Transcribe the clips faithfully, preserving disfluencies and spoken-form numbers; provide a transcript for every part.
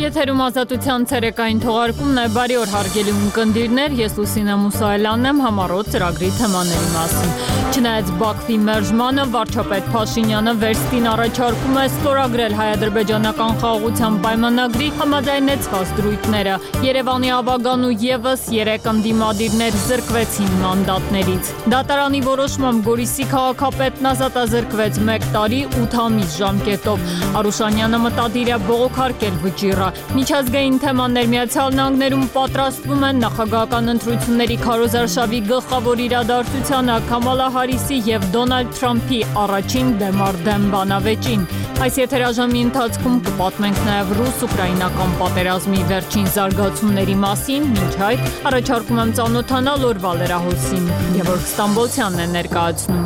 Եթերում ազատության ցերեկային թողարկումն է, բարի օր հարգելի ունկնդիրներ, ես Լուսինե Մուսայելյանն եմ համառոտ ծրագրի թեմաների մասին։ Չնայած Բաքվի մերժմանը, վարչապետ Փաշինյանը վերստին առաջարկում է ստորագրել հայ-ադրբեջանական խաղաղության պայմանագրի համաձայնեցված դրույթները։ Երևանի ավագան ու ևս երեք ընդդիմադիրներ զրկվեցին մանդատներից։ Դատարանի որոշմամբ Գորիսի քաղաքապետն ազատազրկվեց մեկ տարի ութ ամիս ժամկետով։ Արուշանյանը մտադիր է բողոքարկել վճիռը։ Միջազգային թեմաներ Միացյալ Նահանգներում պատրաստվում են նախագահական ընտրությունների քարոզարշավի գլխավոր իրադարձությանը Քամալա Հարիսի և Դոնալդ Թրամփի առաջին դեմարդեմ բանավեճին։ Այս եթերաժամի ընթացքում կպատմենք նաև ռուս-ուկրաինական պատերազմի վերջին զարգացումների մասին, մինչ այդ առաջարկում եմ ծանոթանալ օրվա լրահոսին։ Գևորգ Ստամբոլցյանն է ներկայացնում։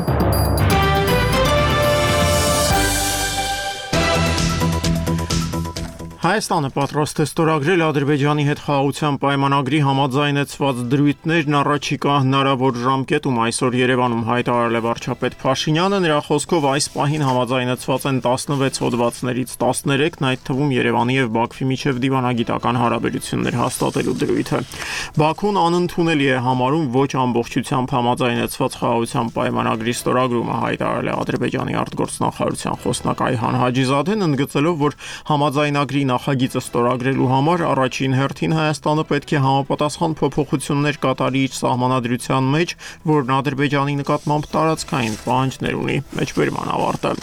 Հայաստանը պատրաստ է ստորագրել Ադրբեջանի հետ խաղաղության պայմանագրի համաձայնեցված դրույթներն առաջիկա հնարավոր ժամկետում այսօր Երևանում հայտարարել է վարչապետ Փաշինյանը, նրա խոսքով այս պահին համաձայնեցված են տասնվեց հոդվածներից տասներեքն, այդ թվում Երևանի եւ Բաքվի միջև դիվանագիտական հարաբերություններ հաստատելու դրույթը։ Բաքուն անընդունելի է համարում ոչ ամբողջությամբ համաձայնեցված խաղաղության պայմանագրի ստորագրումը, հայտարարել է Ադրբեջանի արտգործնախարարության խոսնակ Այհան Հաջիզադեն, ընդգծելով, որ համաձայնագրի նախագիծը ստորագրելու համար առաջին հերթին Հայաստանը պետք է համապատասխան փոփոխություններ կատարի իր սահմանադրության մեջ, որն Ադրբեջանի նկատմամբ տարածքային պահանջներ ունի։ Մեջբերման ավարտը։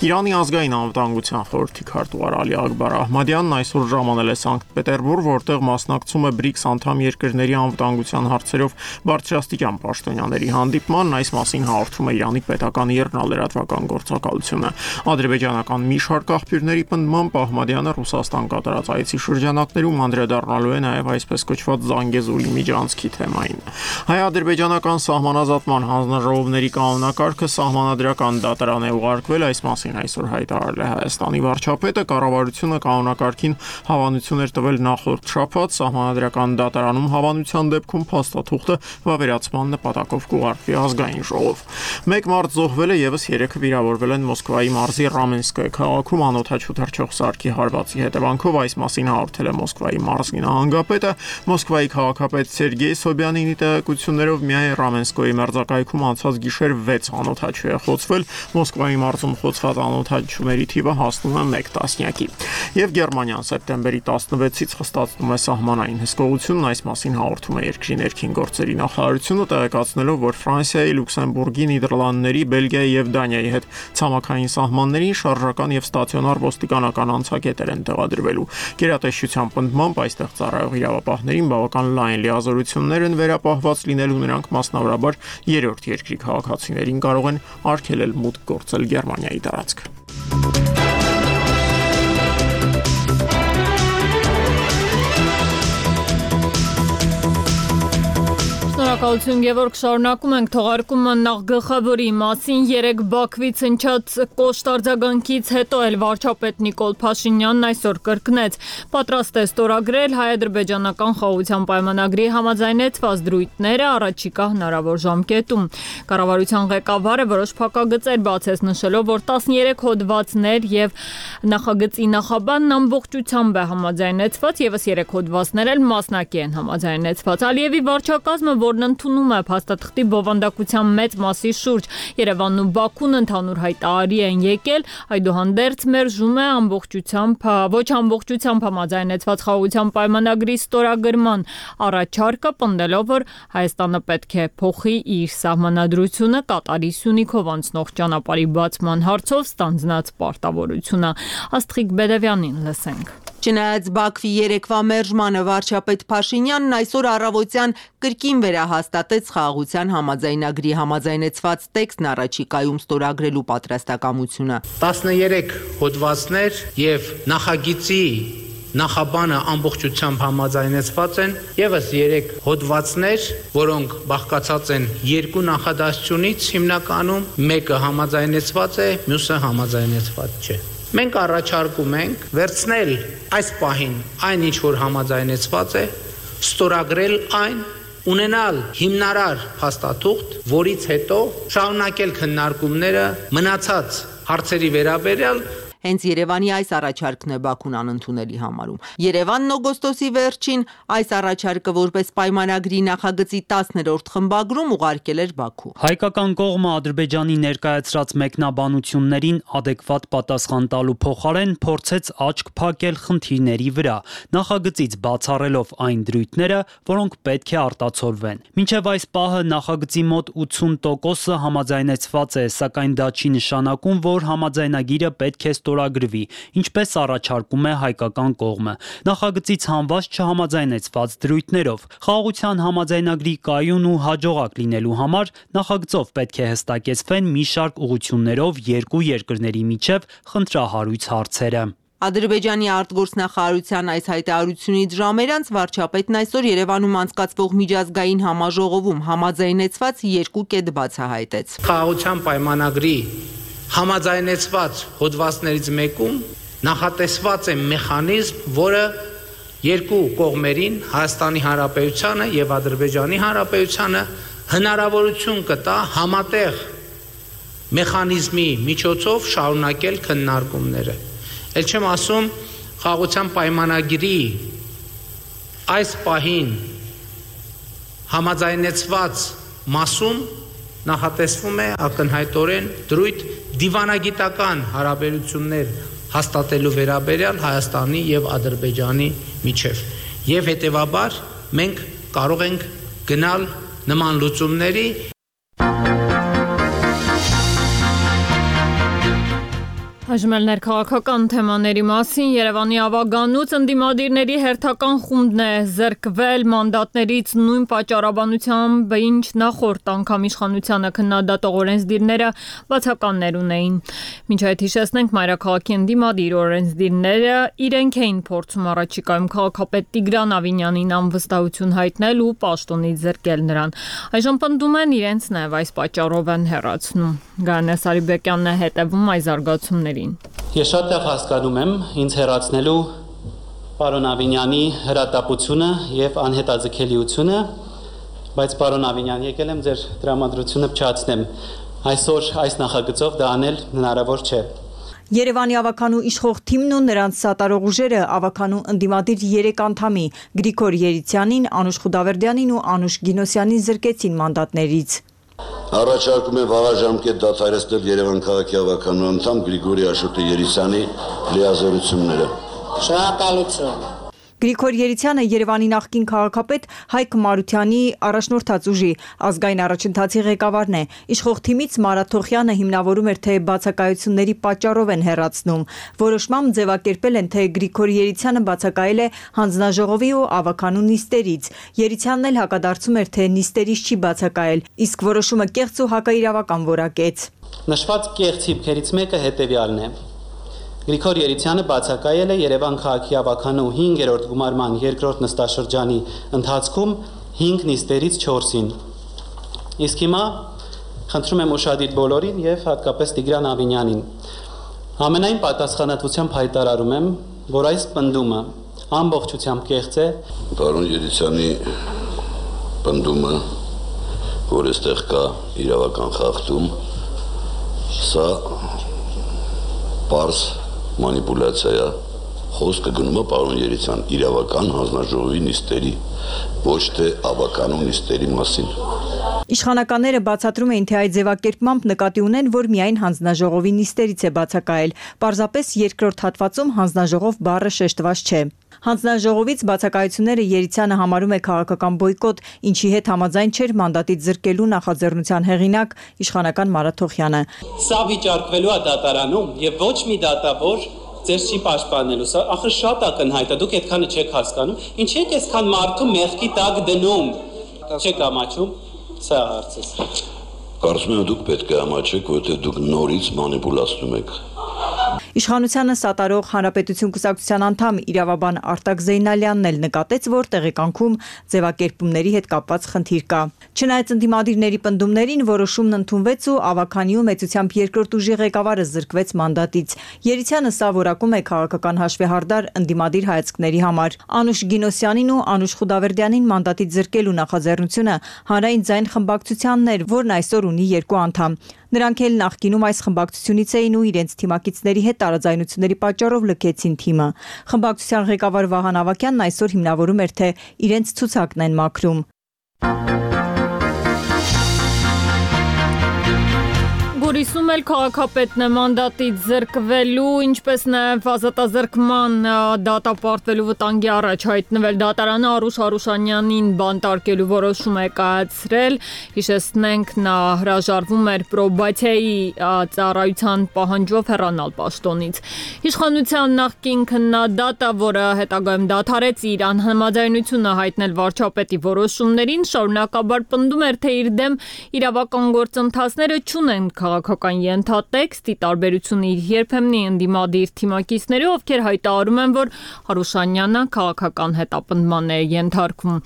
Իրանի ազգային անվտանգության խորհրդի քարտուղար Ալի Ակբար Ահմադյանն այսօր ժամանել է Սանկտ Պետերբուրգ, որտեղ մասնակցում է բրիկս անդամ երկրների անվտանգության հարցերով բարձրաստիճան պաշտոնյաների հանդիպմանն, այս մասին հաղորդում է Իրանի պետական եռնալրատվական գործակալությունը։ Ադրբեջանական մի շարք աղբյուրների պնդմամբ Ահմադյանը Ռուսաստան կատարած այցի շրջանակներում անդրադառնալու է նաև այսպես կոչված Զանգեզուրի միջանցքի թեմային։ Հայ-ադրբեջանական սահմանազատման հանձնաժողովների կանոնակարգը սահմանադրական դատարան է ուղարկվել, այս մասին այսօր հայտարարել է Հայաստանի վարչապետը, կառավարությունը կանոնակարգին հավանություն էր տվել նախորդ շաբաթ, սահմանադրական դատարանում հավանության դեպքում փաստաթուղթը վավերացման նպատակով կուղարկվի ազգային ժողով։ Մեկ մարդ զոհվել է, ևս երեքը վիրավորվել են Մոսկվայի մարզի Ռամենսկայ քաղաքում անօդաչու թռչող սարքի հարվածի հետևանքով, այս մասին հաղորդել է Մոսկվայի մարզի նահանգապետը։ Մոսկվայի քաղաքապետ Սերգեյ Սոբյանինի տեղեկություններով միայն Ռամենսկոյի մերձակայքում անցած գիշեր վեց անօդաչու է խոցվել, Մոսկվայի մարզում խոցված անօդաչուների թիվը հասնում է մեկ տասնյակի։ Եվ Գերմանիան սեպտեմբերի տասնվեցից խստացնում է սահմանային հսկողությունն, այս մասին հաղորդում է երկրի ներքին գործերի նախարարությունը, տեղեկացնելով, որ Ֆրանսիայի, Լյուքսեմբուրգի, Նիդերլանդների, Բելգիայի եւ Դանիայի հետ ցամաքային սահմաններին շարժական եւ ստացիոնար ոստիկանական անցակետեր են տեղադրվելու։ Գերատեսչության պնդմամբ այստեղ ծառայող իրավապահներին բավական լայն լիազորություններ են վերապահված լինելու, նրանք մասնավորաբար երրորդ երկրի քաղաքացիներին կարող են արգելել մուտք գործել Գերմանիայի տարածք։ Շնորհակալություն Գևորգ, շարունակում ենք թողարկումը նախ գլխավորի մասին։ Երեք Բաքվից հնչած կոշտ արձագանքից հետո էլ վարչապետ Նիկոլ Փաշինյանն այսօր կրկնեց, պատրաստ է ստորագրել հայ-ադրբեջանական խաղաղության պայմանագրի համաձայնեցված դրույթները առաջիկա հնարավոր ժամկետում։ Կառավարության ղեկավարը որոշ փակագծեր բացեց, նշելով, որ տասներեք հոդվածներ եւ նախագծի նախաբանն ամբողջությամբ է համաձայնեցված, ևս երեք հոդվածներ էլ մասնակի են համաձայնեցված։ Ալիևի վարչակազմը, որն ընդունում է փաստաթղթի բովանդակության մեծ մասի շուրջ, Երևանն ու Բաքուն ընդհանուր հայտարարի են եկել, այդուհանդերձ մերժում է ամբողջությամբ, ոչ ամբողջությամբ համաձայնեցված խաղաղության պայմանագրի ստորագրման առաջարկը, պնդելով, որ Հայաստանը պետք է փոխի իր սահմանադրությունը կատարի Սյունիքով անցնող ճանապարհի բացման հարցով ստանձնած պարտավորությունը։ Աստղիկ Բեդևյանին լսենք։ Չնայած Բաքվի երեկվա մերժմանը, վարչապետ Փաշինյանն այսօր առավոտյան կրկին վերահաստատեց խաղաղության համաձայնագրի համաձայնեցված տեքստն առաջիկայում ստորագրելու պատրաստակամությունը։ տասներեք հոդվածներ եւ նախագիծի նախաբանը ամբողջությամբ համաձայնեցված են, ևս երեք հոդվածներ, որոնք բաղկացած են երկու նախադասությունից, հիմնականում մեկը համաձայնեցված է, մյուսը համաձայնեցված չէ։ Մենք առաջարկում ենք վերցնել այս պահին այն, ինչ որ համաձայնեցված է, ստորագրել այն, ունենալ հիմնարար փաստաթուղթ, որից հետո շարունակել քննարկումները մնացած հարցերի վերաբերյալ։ Հենց Երևանի այս առաջարկն է Բաքուն անընդունելի համարում։ Երևանն օգոստոսի վերջին այս առաջարկը որպես պայմանագրի նախագծի տասներորդ խմբագրում ուղարկել էր Բաքու։ Հայկական կողմը Ադրբեջանի ներկայացրած մեկնաբանություններին adekvat պատասխան տալու փոխարեն փորձեց աչք փակել խնդիրների վրա, նախագծից բացառելով այն դրույթները, որոնք պետք է արտացոլվեն։ Մինչև այս պահը նախագծի մոտ ութսուն տոկոսը համաձայնեցված է, սակայն դա չի նշանակում, որ համաձայնագիրը պետք է ստորագրվի, ինչպես առաջարկում է հայկական կողմը։ Նախագծից հանված չհամաձայնեցված դրույթներով խաղաղության համաձայնագրի կայուն ու հաջողակ լինելու համար նախագծով պետք է հստակեցվեն մի շարք ուղղություններով երկու երկրների միջև խնդրահարույց հարցերը։ Ադրբեջանի արտգործնախարարության այս հայտարարությունից ժամեր անց վարչապետն այսօր Երևանում անցկացվող միջազգային համաժողովում համաձայնեցված երկու կետ բացահայտեց։ Խաղաղության պայմանագրի համաձայնեցված հոդվածներից մեկում նախատեսված է մեխանիզմ, որը երկու կողմերին, Հայաստանի Հանրապետությանը եւ Ադրբեջանի Հանրապետությանը հնարավորություն կտա համատեղ մեխանիզմի միջոցով շարունակել քննարկումները։ Էլ չեմ ասում խաղաղության պայմանագրի այս պահին համաձայնեցված մասում նախատեսվում է ակնհայտորեն դրույթ դիվանագիտական հարաբերություններ հաստատելու վերաբերյալ Հայաստանի եւ Ադրբեջանի միջև։ Եվ հետեւաբար մենք կարող ենք գնալ նման լուծումների։ Այժմ էլ ներքաղաքական թեմաների մասին Երևանի ավագանուց ընդդիմադիրների հերթական խումբն է զրկվել մանդատներից նույն պատճառաբանությամբ, ինչ նախորդ անգամ իշխանությանը քննադատող օրենսդիրները բացականներ ունեին։ Մինչ այդ հիշեցնենք մայրաքաղաքի ընդդիմադիր օրենսդիրները իրենք էին փորձում առաջիկայում քաղաքապետ Տիգրան Ավինյանին անվստահություն հայտնել ու պաշտոնից զրկել նրան։ Այժմ պնդում են իրենց նաև այս պատճառով են հեռացնում։ Գայանե Սարիբեկյանն է հետևում այս զարգացումներին։ Ես շատ լավ հասկանում եմ ինձ հեռացնելու պարոն Ավինյանի հրատապությունը եւ անհետաձգելիությունը, բայց պարոն Ավինյան, եկել եմ ձեր տրամադրությունը փչացնեմ։ Այսօր այս նախագծով դա անել հնարավոր չէ։ Երևանի ավականու իշխող թիմն ու նրանց սատարող ուժերը ավականու ընդդիմադիր երեք անդամի Գրիգոր Երիցյանին, Անուշ Խուդավերդյանին ու Անուշ Գինոսյանին զրկեցին մանդատներից։ Առաջարկում եմ վաղաժամկետ դադարեցնել Երևան քաղաքի ավականու անդամ Գրիգորի Աշոտի Երիցյանի լիազորությունները։ Շնորհակալություն։ Գրիգոր Երիցյանը Երևանի նախկին քաղաքապետ Հայկ Մարությանի առաջնորդած ուժի ազգային առաջընթացի ղեկավարն է։ Իշխող թիմից Մարատ Թոխյանը հիմնավորում էր, թե բացակայությունների պատճառով են հեռացնում։ Որոշմամբ ձևակերպել են, թե Գրիգոր Երիցյանը բացակայել է հանձնաժողովի ու ավականու նիստերից։ Երիցյանն էլ հակադարձում էր, թե նիստերից չի բացակայել, իսկ որոշումը կեղծ ու հակաիրավական որակեց։ Նշված կեղծ հիմքերից մեկը հետևյալն է։ Գրիգոր Երիցյանը բացակայել է Երևան քաղաքի ավականու հինգերորդ գումարման երկրորդ նստաշրջանի ընթացքում հինգ նիստերից չորսին։ Իսկ հիմա խնդրում եմ ուշադիր բոլորին եւ հատկապես Տիգրան Ավինյանին։ Ամենայն պատասխանատվությամբ հայտարարում եմ, որ այս պնդումը ամբողջությամբ կեղծ է։ Պարոն Երիցյանի պնդումը, որ այստեղ կա իրավական խախտում, սա պարզ մանիպուլյացիա, խոսքը գնում է պարոն Երիցյան իրավական հանձնաժողովի նիստերի, ոչ թե ավականու նիստերի մասին։ Իշխանականները բացատրում էին, թե այդ ձևակերպմամբ նկատի ունեն, որ միայն հանձնաժողովի նիստերից է բացակայել։ Պարզապես երկրորդ հատվածում հանձնաժողով բառը շեշտված չէ։ Հանձնաժողովից բացակայությունները Երիցյանը համարում է քաղաքական բոյկոտ, ինչի հետ համաձայն չէր մանդատից զրկելու նախաձեռնության հեղինակ իշխանական Մարատ Թոխյանը։ Սա վիճարկվելու է դատարանում եւ ոչ մի դատավոր ձեզ չի պաշտպանելու։ Սա ախր շատ ակնհայտ է, դուք այդքանը չեք հասկանում։ Ինչի՞ եք այսքան մարդու մեղքի տակ դնում։ Չեք ամաչում։ Սա հարցը։ Կարծում եմ դուք պետք է ամաչեք, որովհետեւ դուք նորից մանիպուլացնում եք։ Իշխանությանը սատարող Հանրապետություն կուսակցության անդամ իրավաբան Արտակ Զեյնալյանն էլ նկատեց, որ տեղեկանքում ձևակերպումների հետ կապված խնդիր կա։ Չնայած ընդդիմադիրների պնդումներին, որոշումն ընդունվեց ու ավականիու մեծությամբ երկրորդ ուժի ղեկավարը զրկվեց մանդատից։ Երիցյանը սա որակում է քաղաքական հաշվեհարդար ընդդիմադիր հայացքների համար։ Անուշ Գինոսյանին ու Անուշ Խուդավերդյանին մանդատից զրկելու նախաձեռնությունը հանրային ձայն խմբակցությանն էր, որն այսօր ունի երկու անդամ։ Նրանք էլ նախկինում այս խմբակցությունից էին ու իրենց թիմակիցների հետ տարաձայնությունների պատճառով լքեցին թիմը։ Խմբակցության ղեկավար Վահան Ավագյանն այսօր հիմնավորում էր, թե իրենց ցուցակն են մաքրում։ Գորիսում էլ քաղաքապետն է մանդատից զրկվելու, ինչպես նաև ազատազրկման դատապարտվելու վտանգի առաջ հայտնվել։ Դատարանը Արուշ Արուշանյանին բանտարկելու որոշում է կայացրել։ Հիշեցնենք, նա հրաժարվում էր պրոբացիայի ծառայության պահանջով հեռանալ պաշտոնից։ Իշխանության նախկին քննադատը, որը հետագայում դադարեց իր անհամաձայնությունը հայտնել վարչապետի որոշումներին, շարունակաբար պնդում էր, թե իր դեմ իրավական գործընթացները չունեն քաղաքական ենթատեքստ, ի տարբերություն իր երբեմնի ընդդիմադիր թիմակիցների, ովքեր հայտարարում են, որ Հարուշանյանը քաղաքական հետապնդման է ենթարկվում։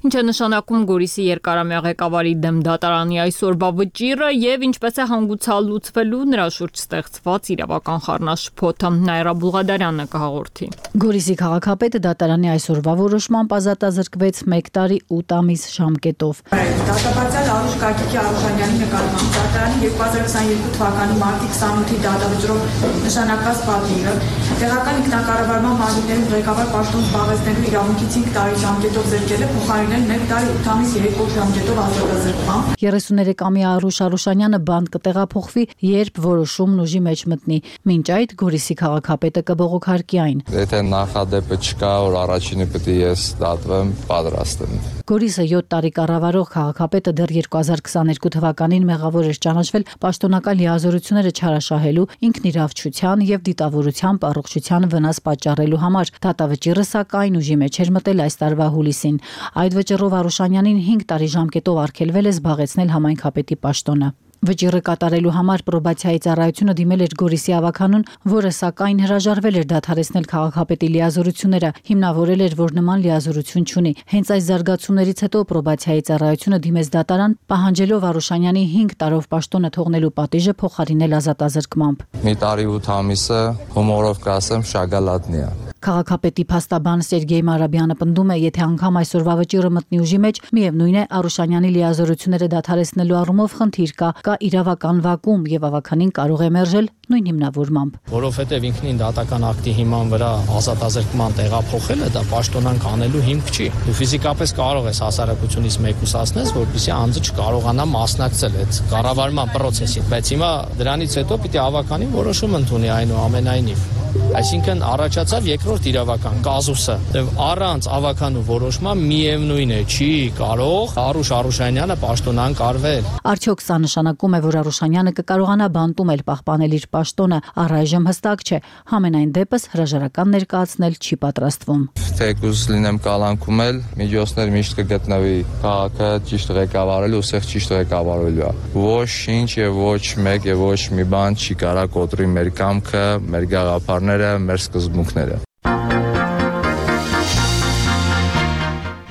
Ինչ է նշանակում Գորիսի երկարամյա ղեկավարի դեմ դատարանի այսօրվա վճիռը եւ ինչպես է հանգուցալուծվելու նրա շուրջ ստեղծված իրավական խառնաշփոթը։ Նաիրա Բուղադարյանը կհաղորդի։ Գորիսի քաղաքապետը դատարանի այսօրվա որոշմամբ ազատազրկվեց մեկ տարի ութ ամիս ժամկետով։ Դատապարտյալ Արուշ Գագիկի Արուշանյանի նկատմամբ դատարանի երկու հազար քսաներկու թվականի մարտի քսանութի դատավճռով նշանակված պատվիրը տեղական ինքնակառավարման մարմիններում ղեկավար պաշտոն զբաղեցնելու իրավունքից հինգ տարի ժամկետով զրկել է փոխարինել մեկ տարի ութ ամիս երեք օր ժամկետով ազատազրկմամբ։ երեսուներեքամյա Արուշ Արուշանյանը բանտ կտեղափոխվի, երբ որոշումն ուժի մեջ մտնի։ Մինչ այդ Գորիսի քաղաքապետը կբողոքարկի այն։ Եթե նախադեպը չկա, որ առաջինը պետք է ես դատվեմ, պատրաստ եմ։ Գորիսը յոթ տարի կառավարող քաղաքապետը դեռ երկու հազար քսաներկու թվականին մեղավոր էր ճանաչվել պաշտոնական լիազորությունները չարաշահելու, ինքնիրավչության եւ դիտավորության առողջության վնաս պատճառելու համար։ Դատավճիռը սակայն ուժի մեջ էր մտել այս տարվա հուլիսին։ Այդ վճռով Արուշանյանին հինգ տարի ժամկետով արգելվել է զբաղեցնել համայնքապետի պաշտոնը։ Վճիռը կատարելու համար պրոբացիայի ծառայությունը դիմել էր Գորիսի ավականուն, որը սակայն հրաժարվել էր դադարեցնել քաղաքապետի լիազորությունները, հիմնավորել էր, որ նման լիազորություն չունի։ Հենց այս զարգացումներից հետո պրոբացիայի ծառայությունը դիմեց դատարան, պահանջելով Արուշանյանի հինգ տարով պաշտոնը թողնելու պատիժը փոխարինել ազատազրկմամբ։ Մի տարի ութ ամիսը հումորով կասեմ շագալատնի է։ Քաղաքապետի փաստաբան Սերգեյ Մարաբյանը պնդում է, եթե անգամ այսօրվա վճիռը մտնի ուժի մեջ, միևնույն է Արուշանյանի լիազորությունները դադարեցնելու առումով խնդիր կա, կա իրավական վակուում եւ ավականին կարող է մերժել նույն հիմնավորմամբ։ Որովհետեւ ինքնին դատական ակտի հիման վրա ազատազրկման տեղափոխելը դա պաշտոնանք անելու հիմք չի։ Դու ֆիզիկապես կարող ես հասարակությունից մեկուսացնես, որպեսզի անձը չկարողանա մասնակցել այդ կառավարման process-ին, բայց հիմա դրանից հետո պիտի ավականին որոշում ընդունի այնուամենայնիվ։ Այսինքն առաջացավ երկրորդ իրավական կազուսը, եւ առանց ավականու որոշման միևնույն է չի կարող Արուշ Արուշանյանը պաշտոնանկ արվել։ Արդյոք սա նշանակում է, որ Արուշանյանը կկարողանա բանտում պահպանել իր պաշտոնը, առայժմ հստակ չէ։ Համենայն դեպս հրաժարական ներկայացնել չի պատրաստվում։ Թեկուզ լինեմ կալանքում էլ միջոցներ միշտ կգտնվի քաղաքը ճիշտ ղեկավարելու, ուղիղ ճիշտ ղեկավարելու։ Ոչ ինչ եւ ոչ մեկ եւ ոչ մի բան չի կարա կոտրի մեր կամքը, մեր գաղափարները, մեր սկզբունքները։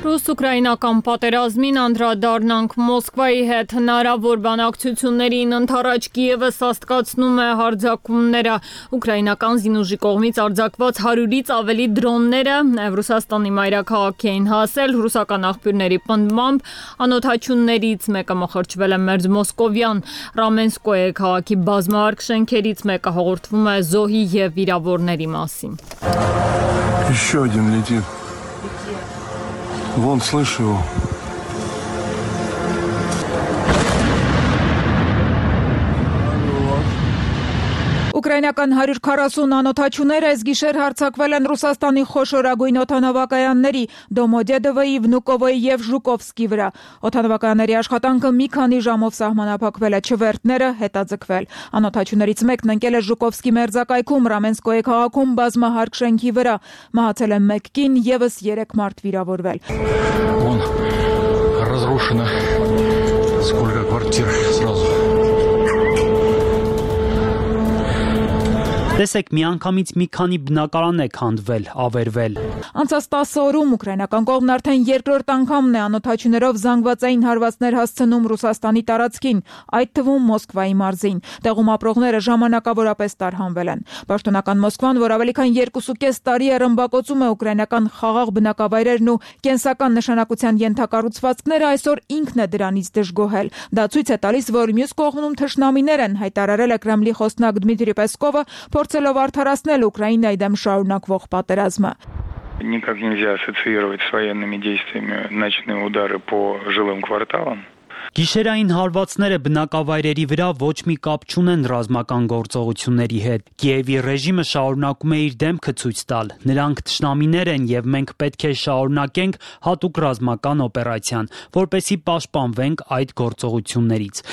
Ռուս-ուկրաինական պատերազմին անդրադառնանք Մոսկվայի հետ հնարավոր բանակցություններին ընթառաջ Կիևը սաստկացնում է հարձակումները։ Ուկրաինական զինուժի կողմից արձակված հարյուրից ավելի դրոնները նաև Ռուսաստանի մայրաքաղաք էին հասել։ Ռուսական աղբյուրների պնդմամբ անօթաչուններից մեկը մխրճվել է մերձ Մոսկովյան Ռամենսկոյե քաղաքի բազմահարկ շենքերից մեկը հաղորդվում է զոհի եւ վիրավորների մասին։ Еще один летит. Вон, слышу его. Ուկրաինական հարյուր քառասուն անօթաչուներ այս գիշեր հարձակվել են Ռուսաստանի խոշորագույն օդանավակայանների Դոմոդեդովոյի, Վնուկովոյի եւ Ժուկովսկի վրա։ Օդանավակայանների աշխատանքը մի քանի ժամով սահմանափակվել է, չվերթները հետաձգվել։ Անօթաչուներից մեկն ընկել է Ժուկովսկի մերձակայքում Ռամենսկոյե քաղաքում բազմահարկ շենքի վրա։ Մահացել է մեկ կին, եւս երեք մարդ վիրավորվել։ Вон, разрушено. Сколько квартир сразу. Տեսեք, միանգամից մի քանի բնակարան է քանդվել, ավերվել։ Անցած տասը օրում ուկրաինական կողմն արդեն երկրորդ անգամն է անօդաչուներով զանգվածային հարվածներ հասցնում Ռուսաստանի տարածքին, այդ թվում Մոսկվայի մարզին։ Տեղում ապրողները ժամանակավորապես տարհանվել են։ Պաշտոնական Մոսկվան, որ ավելի քան երկուսուկես տարի է ռմբակոծում է ուկրաինական խաղաղ բնակավայրերն ու կենսական նշանակության ենթակառուցվածքները, այսօր ինքն է դրանից դժգոհել։ Դա ցույց է տալիս, որ մյուս կողմում թշնամիներ են, հայտարարել է Կրեմլի խոսնակ Դմիտրի Պեսկովը, փորձելով արդարացնել Ուկրաինայի դեմ շարունակվող պատերազմը։ Никак нельзя ассоциировать с военными действиями ночные удары по жилым кварталам. Գիշերային հարվածները բնակավայրերի վրա ոչ մի կապ չունեն ռազմական գործողությունների հետ։ Կիևի ռեժիմը շարունակում է իր դեմքը ցույց տալ։ Նրանք թշնամիներ են եւ մենք պետք է շարունակենք հատուկ ռազմական օպերացիան, որպեսզի պաշտպանվենք այդ գործողություններից։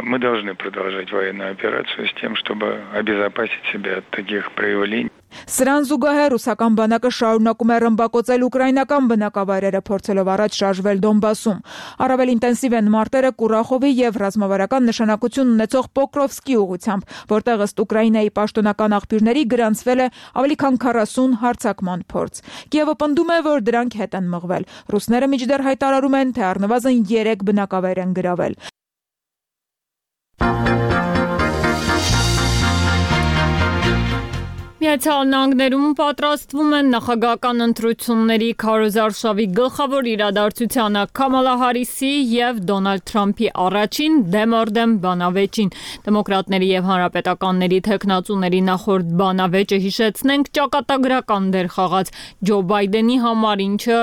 Мы должны продолжать военную операцию с тем, чтобы обезопасить себя от таких проявлений. Սրան զուգահեռ ռուսական բանակը շարունակում է ռմբակոծել ուկրաինական բնակավայրերը, փորձելով առաջ շարժվել Դոնբասում։ Առավել ինտենսիվ են մարտերը Կուրախովի եւ ռազմավարական նշանակություն ունեցող Պոկրովսկի ուղությամբ, որտեղ ըստ Ուկրաինայի պաշտոնական աղբյուրների գրանցվել է ավելի քան քառասուն հարձակման փորձ։ Կիևը պնդում է, որ դրանք հետ են մղվել։ Ռուսները մինչդեռ հայտարարում են, թե առնվազն երեք բնակավայր են գրավել։ Միացյալ Նահանգներում պատրաստվում են նախագահական ընտրությունների քարոզարշավի գլխավոր իրադարձությանը Կամալա Հարիսի եւ Դոնալդ Թրամփի առաջին դեմորդեմ բանավեճին։ Դեմոկրատների եւ հանրապետականների թեկնածուների նախորդ բանավեճը, հիշեցնենք, ճակատագրական դեր խաղաց Ջո Բայդենի համար, ինչը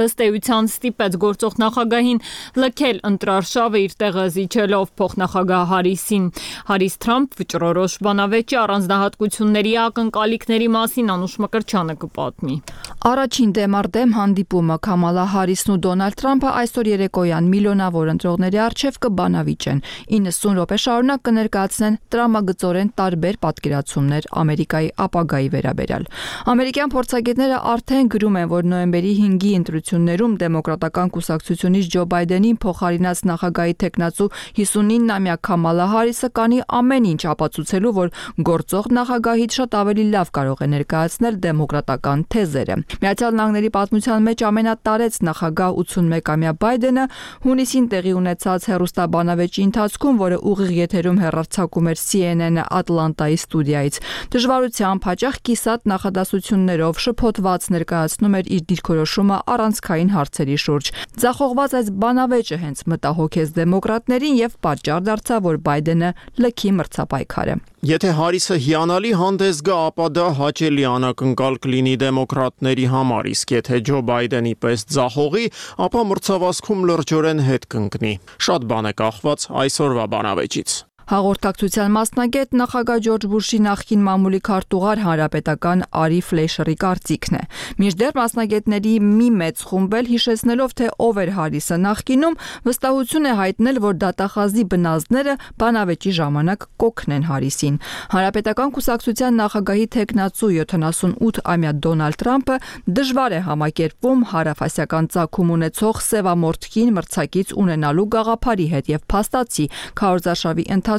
ըստ էության ստիպեց գործող նախագահին լքել ընտրարշավը, իր տեղը զիջելով փոխնախագահ Հարիսին։ Հարիս-Թրամփ վճռորոշ բանավեճի առանձնահատկությունների ակնկալիքների մասին Անուշ Մկրտչյանը կպատմի։ Առաջին դեմարդեմ հանդիպումը Կամալա Հարիսն ու Դոնալդ Թրամփը այսօր երեկոյան միլիոնավոր ընտրողների առջև կբանավիճեն։ իննսուն րոպե շարունակ կներկայացնեն տրամագծորեն տարբեր պատկերացումներ Ամերիկայի ապագայի վերաբերյալ։ Ամերիկյան փորձագետները արդեն գրում են, որ նոյեմբերի հինգի ընտրություններում դեմոկրատական կուսակցությունից Ջո Բայդենին փոխարինած նախագահի տեխնացու հիսունինամյա Կամալա Հարիսը կանի ամեն ինչ ապացուցելու, որ գործող նախագահից շատ ավելի լավ կարող է ներկայացնել դեմոկրատական թեզերը։ Միացյալ Նահանգների պատմության մեջ ամենատարեց նախագահ ութսունմեկամյա Բայդենը հունիսին տեղի ունեցած հեռուստաբանավեճի ընթացքում, որը ուղիղ եթերում հեռարձակում էր Սի Էն Էն-ը Ատլանտայի ստուդիայից, դժվարությամբ հաճախ կիսատ նախադասություններով շփոթված ներկայացնում էր իր դիրքորոշումը առանցքային հարցերի շուրջ։ Ձախողված այս բանավեճը հենց մտահոգեց դեմոկրատներին եւ պատճառ դարձավ, որ Բայդենը լքի մրցապայքարը։ Եթե Հարիսը հիանալի հանդես գա, ապա դա հաճելի անակնկալ կլինի դեմոկրատների համար, իսկ եթե Ջո Բայդենի պես ձախողի, ապա մրցավազքում լրջորեն հետ կընկնի։ Շատ բան է կախված այսօրվա բանավեճից։ Հաղորդակցության մասնագետ նախագահ Ջորջ Բուշի նախկին մամուլի քարտուղար հանրապետական Արի Ֆլեշերի կարծիքն է։ Մինչդեռ մասնագետների մի մեծ խումբ էլ հիշեցնելով, թե ով էր Հարիսը նախկինում, վստահություն է հայտնել, որ դատախազի բնազդները բանավեճի ժամանակ կօգնեն Հարիսին։ Հանրապետական կուսակցության նախագահի տեխնացու յոթանասունութամյա Դոնալդ Թրամփը դժվար է համակերպվում հարավասիական ծագում ունեցող սևամորթքին մրցակից ունենալու գաղափարի հետ եւ փաստացի քարոզարշավի ընթացքում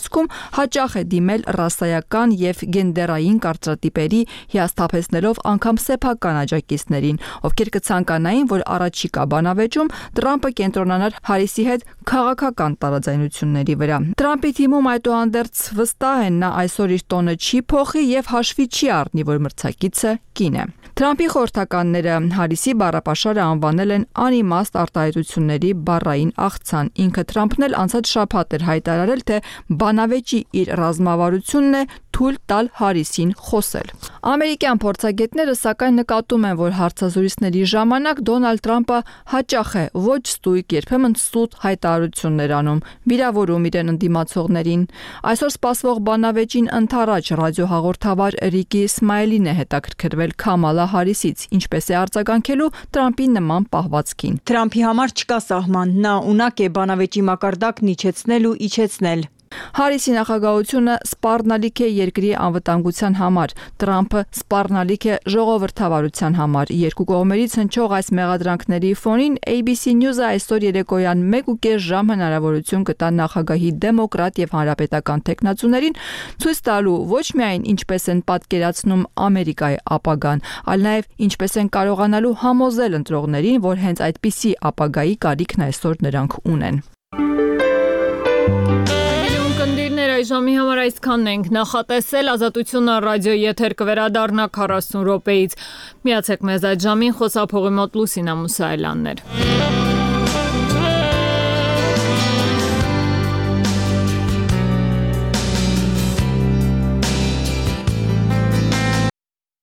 հաճախ է դիմել ռասայական եւ գենդերային կարծրատիպերի, հիասթափեցնելով անգամ սեփական աջակիցներին, ովքեր կցանկանային, որ առաջիկա բանավեճում Թրամփը կենտրոնանար Հարիսի հետ քաղաքական տարաձայնությունների վրա։ Թրամփի թիմում այդուհանդերձ վստահ են, նա այսօր իր տոնը չի փոխի եւ հաշվի չի առնի, որ մրցակիցը կին է։ Թրամփի խորհրդականները Հարիսի բառապաշարը անվանել են անիմաստ արտահայտությունների բառային աղցան։ Ինքը Թրամփն էլ անցած շաբաթ էր հայտարարել, թե բանավեճի իր ռազմավարությունն է թույլ տալ Հարիսին խոսել։ Ամերիկյան փորձագետները սակայն նկատում են, որ հարցազրույցների ժամանակ Դոնալդ Թրամփը հաճախ է ոչ ստույգ, երբեմն սուտ հայտարարություններ անում, վիրավորում իրեն ընդդիմացողներին։ Այսօր սպասվող բանավեճին ընթരാճ ռադիոհաղորդավար Ռիկի Իսմայելին է հետաքրքրվել Կամալա Հարիսից, ինչպես է արձագանքելու Թրամփի նման պահվածքին։ Թրամփի համար չկա սահման, նա ունակ է բանավեճի մակարդակն իջեցնել ու իջեցնել։ Հարիսի նախագահությունը սպառնալիք է երկրի անվտանգության համար, Տրամփը սպառնալիք է ժողովրդավարության համար։ Երկու կողմերից հնչող այս մեղադրանքների ֆոնին A B C News-ը այսօր երեկոյան մեկ ու կես ժամ հնարավորություն կտա նախագահի դեմոկրատ եւ հանրապետական տեխնացուներին ցույց տալու ոչ միայն ինչպես են պատկերացնում Ամերիկայի ապագան, այլ նաեւ ինչպես են կարողանալու համոզել ընտրողներին, որ հենց այդպիսի ապագայի կարիքն այսօր նրանք ունեն։ Ժամի համար այսքանն ենք նախատեսել Ազատությունը ռադիոյի եթեր կվերադառնա քառասուն րոպեից։ Միացեք մեզ այդ ժամին խոսափողի մոտ Լուսինա Մուսայելյանն էր։